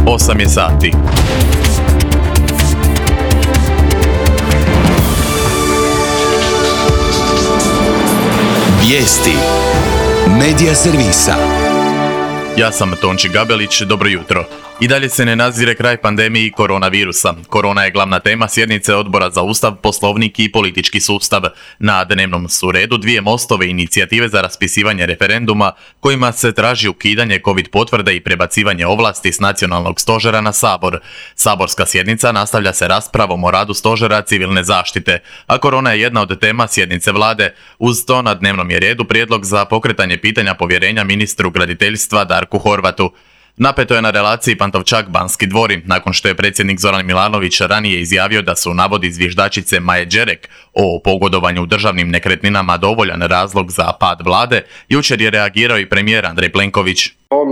8 je sati. Vijesti Medija servisa. Ja sam Tonči Gabelić, dobro jutro. I dalje se ne nazire kraj pandemiji koronavirusa. Korona je glavna tema sjednice Odbora za Ustav, Poslovnik i politički sustav. Na dnevnom su redu dvije MOST-ove inicijative za raspisivanje referenduma kojima se traži ukidanje COVID potvrde i prebacivanje ovlasti s nacionalnog stožera na Sabor. Saborska sjednica nastavlja se raspravom o radu stožera civilne zaštite, a korona je jedna od tema sjednice vlade. Uz to na dnevnom je redu prijedlog za pokretanje pitanja povjerenja ministru graditeljstva Darku Horvatu. Napeto je na relaciji Pantovčak-Banski dvori, nakon što je predsjednik Zoran Milanović ranije izjavio da su navodi zviždačice Maje Đerek o pogodovanju u državnim nekretninama dovoljan razlog za pad vlade. Jučer je reagirao i premijer Andrej Plenković. On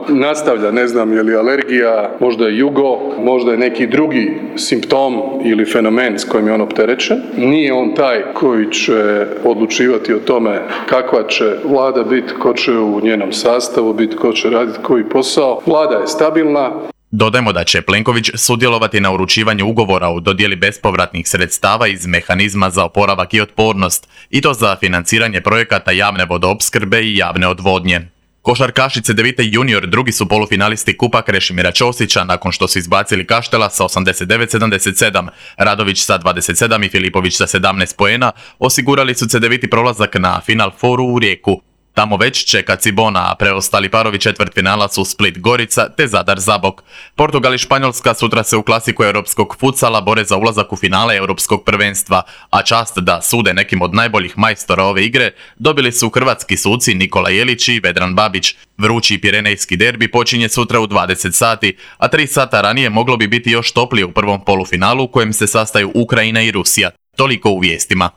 nastavlja, ne znam je li alergija, možda je jugo, možda je neki drugi simptom ili fenomen s kojim je on opterećen. Nije on taj koji će odlučivati o tome kakva će vlada biti, ko će u njenom sastavu biti, ko će raditi koji posao. Vlada je stabilna. Dodajmo da će Plenković sudjelovati na uručivanju ugovora o dodjeli bespovratnih sredstava iz mehanizma za oporavak i otpornost, i to za financiranje projekata javne vodoopskrbe i javne odvodnje. Košarkašice Cedevite junior drugi su polufinalisti Kupa Krešimira Ćosića nakon što su izbacili Kaštela sa 89-77, Radović sa 27 i Filipović sa 17 poena, osigurali su Cedeviti prolazak na Final Fouru u Rijeku. Tamo već čeka Cibona, a preostali parovi četvrtfinala su Split Gorica te Zadar Zabok. Portugal i Španjolska sutra se u klasiku europskog futsala bore za ulazak u finale europskog prvenstva, a čast da sude nekim od najboljih majstora ove igre dobili su hrvatski suci Nikola Jelić i Vedran Babić. Vrući pirenejski derbi počinje sutra u 20 sati, a 3 sata ranije moglo bi biti još toplije u prvom polufinalu u kojem se sastaju Ukrajina i Rusija. Toliko u vijestima.